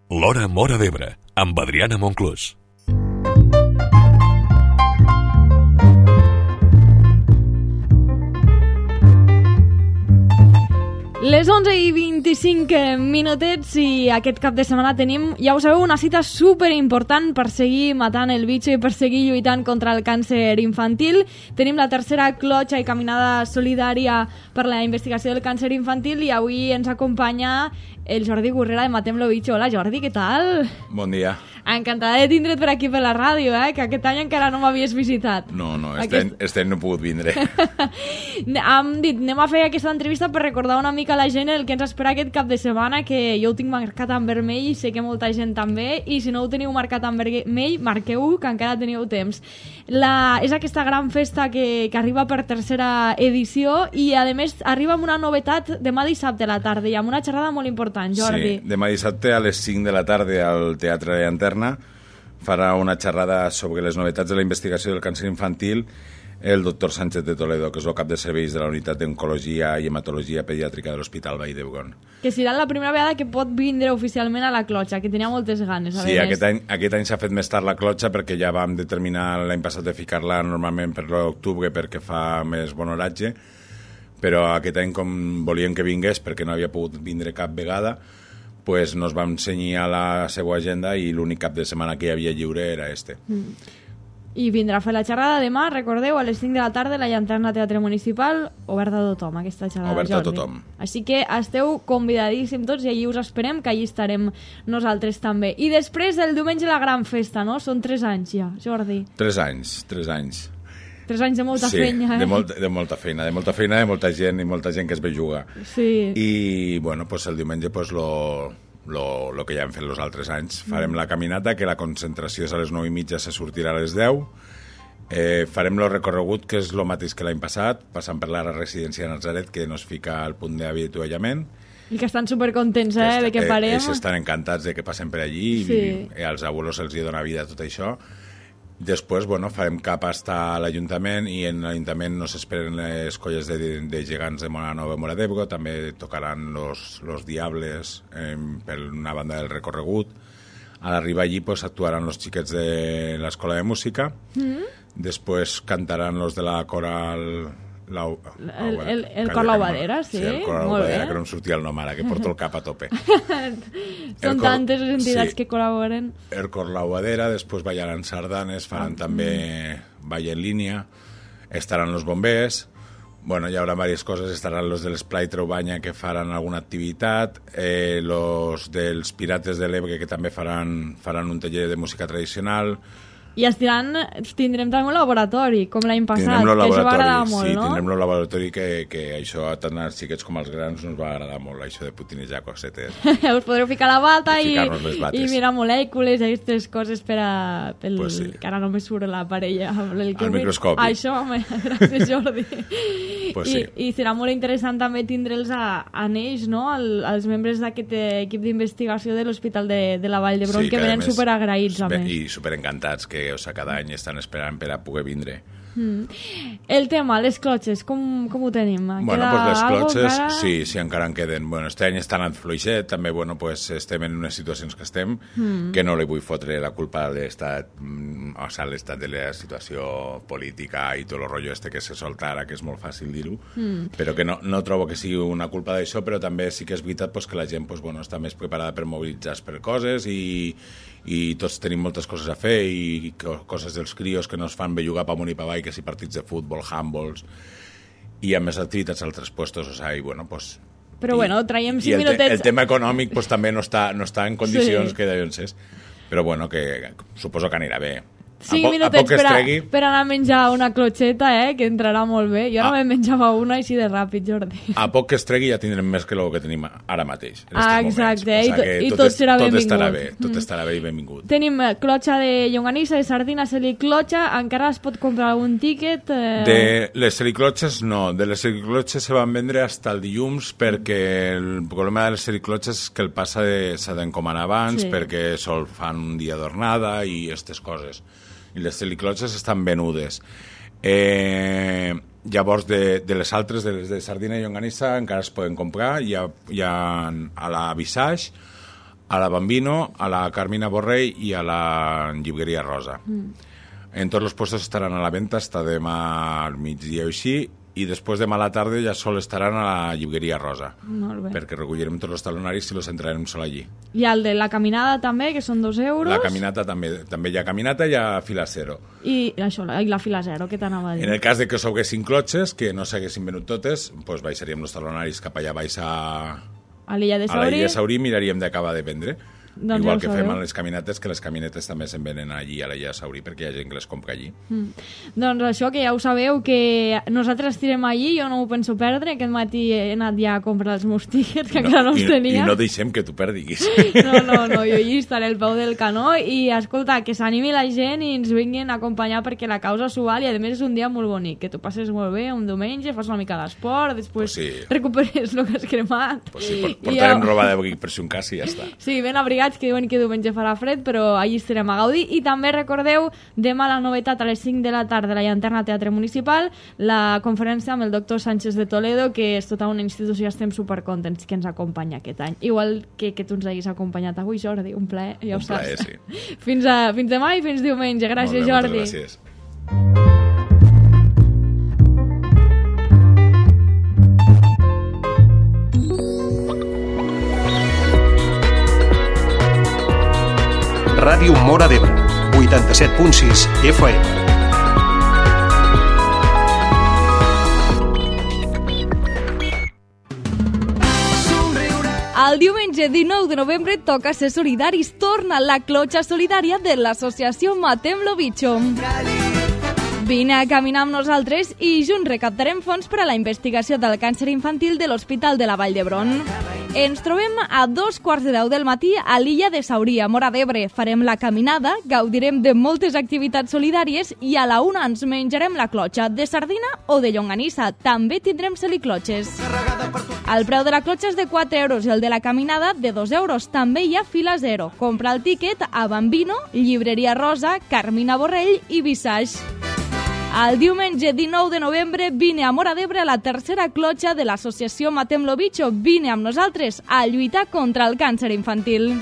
L'Hora Móra d'Ebre, amb Adriana Monclús. Les 11:25 minutets i aquest cap de setmana tenim, ja ho sabeu, una cita superimportant per seguir matant el bitxo i per seguir lluitant contra el càncer infantil. Tenim la tercera clotxa i caminada solidària per la investigació del càncer infantil i avui ens acompanya el Jordi Gurrera de Matem lo Bitxo. Hola Jordi, què tal? Bon dia. Encantada de tindre't per aquí per la ràdio, que aquest any encara no m'havies visitat. No, este any no he pogut vindre. Hem dit, anem a fer aquesta entrevista per recordar una mica a la gent el que ens espera aquest cap de setmana, que jo ho tinc marcat en vermell i sé que molta gent també, i si no ho teniu marcat en vermell, marqueu que encara teniu temps. És aquesta gran festa que arriba per tercera edició i a més arriba amb una novetat demà dissabte a la tarda i amb una xerrada molt important, Jordi. Sí, demà dissabte a les 5 de la tarda al Teatre Llanterna farà una xerrada sobre les novetats de la investigació del càncer infantil el doctor Sánchez de Toledo, que és el cap de serveis de la unitat d'Oncologia i Hematologia Pediàtrica de l'Hospital Vall d'Hebron. Que serà la primera vegada que pot vindre oficialment a la clotxa, que tenia moltes ganes. Sí, aquest any s'ha fet més tard la clotxa perquè ja vam determinar l'any passat de ficar-la normalment per l'octubre perquè fa més bon horatge, però aquest any, com volíem que vingués perquè no havia pogut vindre cap vegada, pues nos vam cenyir a la seva agenda i l'únic cap de setmana que hi havia lliure era este. I vindrà a fer la xerrada demà, recordeu, a les 5 de la tarda, la Llanterna Teatre Municipal, oberta a tothom, aquesta xerrada, oberta Jordi. A tothom. Així que esteu convidadíssims tots i allí us esperem, que allí estarem nosaltres també. I després, el diumenge, la gran festa, no? Són 3 anys ja, Jordi. 3 anys. 3 anys de molta feina, de molta feina, de molta gent i molta gent que es ve jugar. Sí. I, bueno, pues el diumenge, pues lo que ja hem fet els altres anys. Farem la caminata, que la concentració és a les 9:30, se sortirà a les 10. Farem el recorregut, que és el mateix que l'any passat, passant per la residència de Nazaret, que nos fica al punt d'avituallament. I que estan supercontents, de que parem. Ells estan encantats de que passem per allí, sí. I als abuelos els dona vida tot això. Després, bueno, farem cap a l'Ajuntament i en l'Ajuntament nos esperen les colles de gegants de Móra Móra d'Ebre, també tocaran los Diables per una banda del recorregut. A l'arribar allí pues, actuaran los xiquets de l'Escola de Música, després cantaran los de la coral... El cor Laubadera, sí. Sí, el cor Laubadera, que no em sortia el nom ara, que porto el cap a tope. Són tantes les entitats que col·laboren. El cor Laubadera, després ballaran sardanes, faran també ball en línia, estaran los bombers, bueno, hi haurà diverses coses, estaran los de l'Esplai Traubanya que faran alguna activitat, los dels Pirates de l'Ebre que també faran un taller de música tradicional. I tindrem també un laboratori, com l'any passat, que això va agradar molt, sí, no? Tindrem el laboratori que això tant als xiquets com als grans nos va agradar molt, això de putinejar cosetes. Us podreu ficar la bata i mirar molècules i aquestes coses pues sí. Que ara només surt la parella. Al microscopi. Això, gràcies Jordi. Pues sí. I serà molt interessant també tindre'ls a ells, no? Els membres d'aquest equip d'investigació de l'Hospital de la Vall d'Hebron, sí, que venen superagraïts a més. I superencantats, que cada any estan esperant per a poder vindre. El tema, les clotxes, com ho tenim? Bueno, pues les clotxes, sí, encara en queden. Bueno, este any està anant fluixet, també, bueno, pues estem en unes situacions que estem, que no li vull fotre la culpa a l'estat, o sigui, l'estat de la situació política i tot el rotllo este que se solta ara, que és molt fàcil dir-ho, però que no trobo que sigui una culpa d'això, però també sí que és veritat pues, que la gent pues, bueno, està més preparada per mobilitzar-se per coses i tots tenim moltes coses a fer i coses dels crios que no es fan bellugar pa amunt i pa avall, que si partits de futbol, handballs i a més activitats a altres puestos, o sigui, bueno, pues... Però bueno, traiem 5 minutets... El tema econòmic pues, també no està en condicions que deuen ser, però bueno, que suposo que anirà bé. 5 minutets per anar a menjar una clotxeta, que entrarà molt bé. Jo no me'n menjava una així de ràpid, Jordi. A poc que es tregui ja tindrem més que el que tenim ara mateix. Exacte, i tot serà benvingut. Tot estarà bé i benvingut. Tenim clotxa de llonganissa, de sardina, celiclotxa, encara es pot comprar algun tíquet? De les celiclotxes no, de les celiclotxes se van vendre fins el dilluns perquè el problema de les celiclotxes és que el passa s'ha d'encomanar abans perquè sol fan un dia d'ornada i aquestes coses. I les celiclotxes estan venudes. Llavors, de les altres, de les de sardina i llonganissa, encara es poden comprar. Hi ha a la Visage, a la Bambino, a la Carmina Borrell i a la Llibreria Rosa. En tots els puestos estaran a la venta hasta demà al migdia o així, i després demà a la tarda ja sol estaran a la Llibreria Rosa. Molt bé. Perquè recollirem tots els talonaris i los entrarem sol allí. I el de la caminada també, que són 2 euros. La caminata també hi ha caminata i hi ha fila zero. I això, i la fila zero, què t'anava a dir? En el cas de que us haguessin clotxes, que no s'haguessin venut totes, doncs baixaríem els talonaris cap allà baix a l'illa de Saurí. A l'illa de Saurí miraríem d'acabar de vendre. Doncs igual ja que sabeu. fem a les caminetes, que les caminetes també se'n venen allí a l'illa de Saurí perquè hi ha gent que les compra allí. Doncs això, que ja ho sabeu, que nosaltres estirem allí, jo no ho penso perdre, aquest matí he anat ja a comprar els meus tíquets, que encara no els tenia. I no deixem que tu perdiguis. No, jo allí estaré al peu del canó i, escolta, que s'animi la gent i ens vinguin a acompanyar perquè la causa s'ho val i, a més, és un dia molt bonic, que tu passes molt bé un diumenge, fas una mica d'esport, després recuperes el que has cremat. Pues sí, portarem roba d'abric per si un cas i ja està. Sí, ben abrigats, que diuen que diumenge farà fred, però allí estarem a gaudir. I també recordeu, demà la novetat a les 5 de la tarda a la Llanterna Teatre Municipal, la conferència amb el doctor Sánchez de Toledo, que és tota una institució, estem supercontents que ens acompanya aquest any. Igual que tu ens hagis acompanyat avui, Jordi, un plaer, ja ho saps. Un plaer, sí. Fins demà i fins diumenge. Gràcies, molt bé, Jordi. moltes gràcies. Ràdio Móra d'Ebre, 87.6 FM. El diumenge 19 de novembre toca ser solidaris. Torna la clotxa solidària de l'associació Matem-lo Bicho. Vine a caminar amb nosaltres i junts recaptarem fons per a la investigació del càncer infantil de l'Hospital de la Vall d'Hebron. Ens trobem a 2:15 del matí a l'illa de Saurí, a Móra d'Ebre. Farem la caminada, gaudirem de moltes activitats solidàries i a la 1 ens menjarem la clotxa de sardina o de llonganissa. També tindrem celiclotxes. El preu de la clotxa és de 4 euros i el de la caminada de 2 euros. També hi ha fila zero. Compra el tíquet a Bambino, Llibreria Rosa, Carmina Borrell i Visage. El diumenge 19 de novembre vine a Móra d'Ebre a la tercera clotxa de l'associació Matem-lo Bicho. Vine amb nosaltres a lluitar contra el càncer infantil.